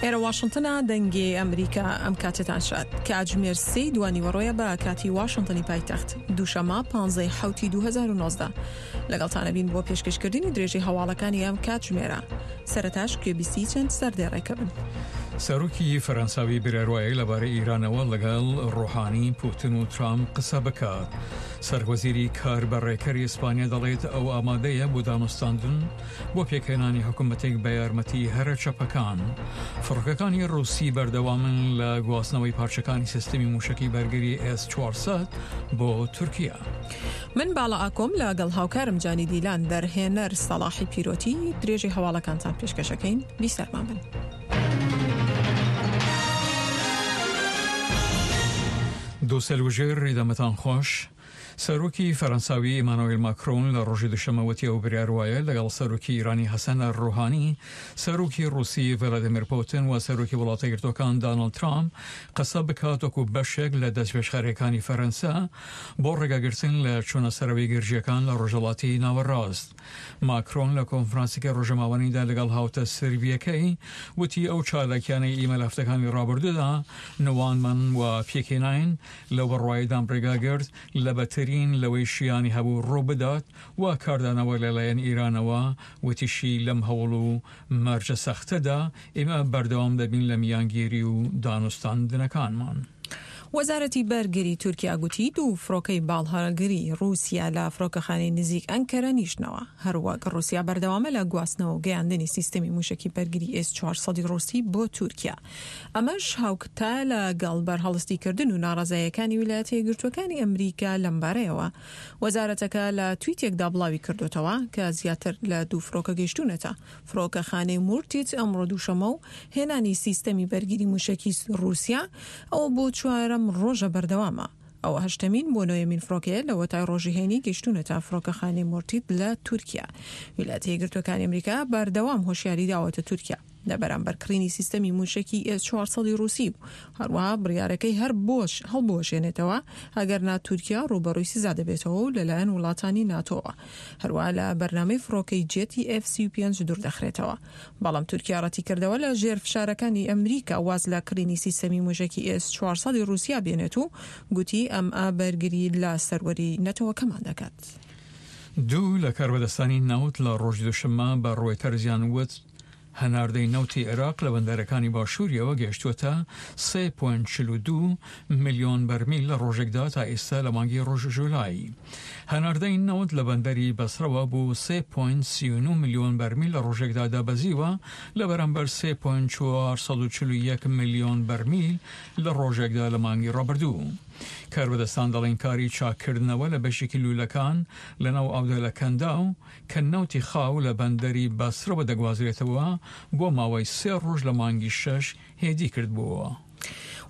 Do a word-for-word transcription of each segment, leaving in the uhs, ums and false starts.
ئێرە واشنتنە، دەنگی ئەمریکا. ئەم کاتێتان شاد. کاتژمێر سێی دوانیوەڕۆیە بە کاتی واشنتنی پایتەخت، دووشەمە پانزەی حەوتی دوو هەزار و نۆزدە. لەگەڵتانە بین بۆ پێشکەشکردنی درێژەی هەواڵەکانی ئەم کاتژمێرە. سەرەتاش گوێبیستی چەند سەردێڕێکە بن. سەرۆکی فەرەنساوی برێروایە لەبارەی ئیرانەوە لەگەڵ ڕۆحانی، پوتن و ترامپ قسە بکات. سەرۆکوەزیری کاربەڕێکەری ئیسپانیا دەڵێت ئەو ئامادەیە بۆ دانوستاندن بۆ پێکهێنانی حکوومەتێک بە یارمەتی هەرە چەپەکان. فڕۆکەکانی ڕووسی بەردەوامن لە گواستنەوەی پارچەکانی سیستمی مووشەکی بەرگری ئێس چوار سەد بۆ تورکیا. من باڵا ئاکۆم لەگەڵ هاوکارم جانی دیلان، دەرهێنەر سەڵاحی پیرۆتی، درێژەی هەواڵەکانتان پێشکەشەکەین. بیسەرمان بن. دووسەلوژێر ڕیدەمەتان خۆش. سەرۆکی فەرەنساوی ئیمانوێل ماکرۆن لە ڕۆژی دوشەممە وتی ئەو بڕیار وایە لەگەڵ سەرۆکی ئیرانی حەسەن ڕۆحانی، سەرۆکی ڕووسی ڤلادیمیر پوتن و سەرۆکی وڵاتە یەکگرتووەکان داناڵد ترامپ قسە بکات وەکو بەشێک لە دەستپێشخەرییەکانی فەرەنسا بۆ ڕێگاگرتن لە چوونە سەرەوەی گرژییەکان لە ڕۆژهەڵاتی ناوەڕاست. ماکرۆن لە کۆنفرانسێکی ڕۆژەماوەنیدا لەگەڵ هاوتە سربییەکەی وتی ئەو چالاکیانەی ئیمە لە هەفتەکانی ڕابردوودا نواندمان و پێکهێناین لەو بڕوایەدام ڕێگاگرت لە بەترین لەوەی شیانی هەبوو ڕووبدات و کاردانەوە لەلایەن ئیرانەوە، وتیشی لەم هەوڵ و مەرجە سەختەدا ئێمە بەردەوام دەبین لە میانگیری و دانوستاندنەکانمان. وەزارەتی بەرگری تورکیا گوتی دوو فڕۆکەی باڵهەڵگری ڕووسیا لە فڕۆکەخانەی نزیک ئەنکەرە نیشتنەوە. هەروەک ڕووسیا بەردەوامە لە گواستنەوە و گەیاندنی سیستەمی مووشەکی بەرگری ئێس چوار سەد ڕووسی بۆ تورکیا. ئەمەش هاوکتایە لەگەڵ بەرهەڵستیکردن و ناڕەزاییەکانی ویلایەتە یەکگرتووەکانی ئەمریکا لەمبارەیەوە. وەزارەتەکە لە تویتێکدا بڵاویکردۆتەوە کە زیاتر لە دوو فڕۆکە گەیشتوونەتە فڕۆکەخانەی مورتیت ئەمڕۆ دووشەممە و هێنانی سیستەمی بەرگری مووشەکی ڕووسیا ئەوە بۆ چوارەم ڕۆژە بەردەوامە. ئەوە هەشتەمین بۆ نۆیەمین فڕۆکەیە لەوەتای ڕۆژی هەینی گەیشتوونەتە فڕۆکەخانەی مورتیت لە تورکیا. ویلایەتە یەکگرتووەکانی ئەمریکا بەردەوام هۆشیاری داوەتە تورکیا لە بەرامبەر کڕینی سیستەمی مووشەکی ئێس چوار سەد ڕووسی و هەروەها بڕیارەکەی هەر بۆش هەڵبوەشێنێتەوە ئەگەرنا تورکیا ڕووبەڕووی سزا دەبێتەوە و لەلایەن وڵاتانی ناتۆوە هەروەها لە بەرنامەی فڕۆکەی جێتی ئێف سی و پێنج دووردەخرێتەوە. بەڵام تورکیا ڕەتیکردەوە لە ژێر فشارەکانی ئەمریکا واز لە کڕینی سیستەمی مووشەکی ئێس چوار سەد ڕووسیا بێنێت و گوتی ئەمە بەرگری لە سەروەری نەتەوەکەمان دەکات. دوو لە کاربەدەستانی نەوت لە ڕۆژی دووشەممە بە ڕۆیتەرزیان وت هەناردەی نەوتی عێراق لە بەندەرەکانی باشووریەوە گەیشتووەتە سێ پۆینت چل و دوو ملیۆن بەرمیل لە ڕۆژێکدا تا ئێستا لە مانگی ڕۆژ ژولای. هەناردەی نەوت لە بەندەری بەسرەوە بۆ سێ پۆینت سی و نۆ ملیۆن بەرمیل لە ڕۆژێکدا دابەزیوە لە بەرامبەر سێ پۆینت چوار سەد و چل و یەک ملیۆن بەرمیل لە ڕۆژێکدا لە مانگی ڕابردوو. کاربەدەستان دەڵێن کاری چاککردنەوە لە بەشێکی لوولەکان لەناو ئاودا لە کەنداو کە نەوتی خاو لە بەندەری بەسرەوە دەگوازرێتەوە بۆ ماوەی سێ ڕۆژ لە مانگی شەش هێدی کردبووەوە.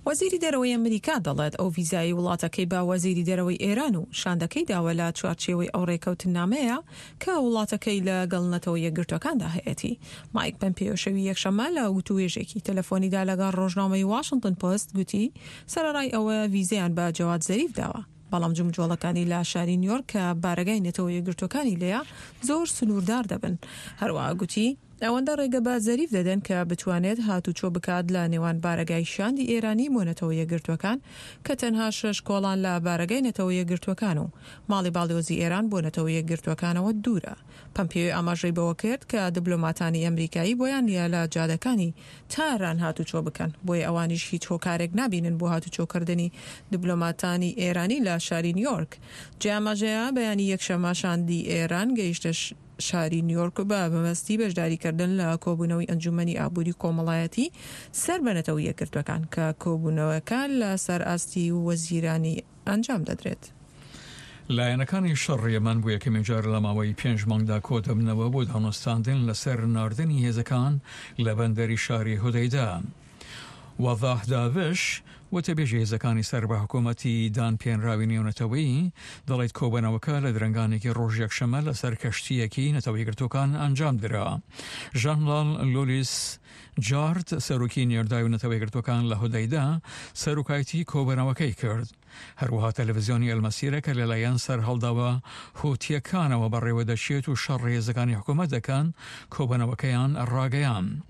وەزیری دەرەوەی ئەمریکا دەڵێت ئەو ڤیزایەی وڵاتەکەی بە وەزیری دەرەوەی ئێران و شاندەکەی داوە لە چوارچێوەی ئەو ڕێکەوتننامەیە کە وڵاتەکەی لەگەڵ نەتەوە یەکگرتووەکاندا هەیەتی. مایک پەمپێیۆ شەوی یەکشەممە لە وتووێژێکی تەلەفۆنیدا لەگەڵ ڕۆژنامەی واشنتن پۆست گوتی سەرەڕای ئەوە ڤیزەیان بە جەواد زەریف داوە، بەڵام جموجۆڵەکانی لە شاری نیویۆرک کە بارەگای نەتەوە یەکگرتووەکانی لێیە زۆر سنووردار دەبن. هەروەها گوتی ئەوەندە ڕێگە بە زەریف دەدەن کە بتوانێت هاتوچۆ بکات لە نێوان بارەگای شاندی ئێرانی بۆ نەتەوە یەکگرتووەکان کە تەنها شەش کۆڵان لە بارەگای نەتەوە یەکگرتووەکان و ماڵی باڵیۆزی ئێران بۆ نەتەوە یەکگرتووەکانەوە دوورە. پەمپێیۆ ئاماژەی بەوە کرد کە دبلۆماتانی ئەمریکایی بۆیان نییە لە جادەکانی تاران هاتوچۆ بکەن، بۆیە ئەوانیش هیچ هۆکارێک نابینن بۆ هاتوچۆکردنی دبلۆماتانی ئێرانی لە شاری نیویۆرک. جێی ئاماژەیە بەیانی یەکشەممە شاندی ئێران گەیشتە شاری نیویۆرک بە مەبەستی بەشداریکردن لە کۆبوونەوەی ئەنجوومەنی ئابووری کۆمەڵایەتی سەر بە نەتەوە یەکگرتووەکان کە کۆبوونەوەکە لەسەر ئاستی وەزیرانی ئەنجام دەدرێت. لایەنەکانی شەڕ یەمەن بۆ یەکەمین جار لە ماوەی پێنج مانگدا کۆدەبنەوە بۆ دانوستاندن لەسەر ناردنی هێزەکان لە بەندەری شاری هودەیدە. وەزاح داڤش، وتەبێژی هێزەکانی سەر بە حکوومەتی دانپێنراوی نێونەتەوەیی، دەڵێت کۆبەنەوەکە لە درەنگانێکی ڕۆژی یەکشەممە لەسەر کەشتییەکی نەتەوە یەکگرتووەکان ئەنجام درا. ژەنراڵ لولیس جارد، سەرۆکی نێردراوی نەتەوە یەکگرتووەکان لە هودەیدە، سەرۆکایەتی کۆبەنەوەکەی کرد. هەروەها تەلەڤزیۆنی ئەلمەسیرە کە لەلایەن سەرهەڵداوە هوتییەکانەوە بەڕێوەدەچێت و شەڕ هێزەکانی حکوومەت دەکەن، کۆبەنەوەکەیان ڕاگەیاند.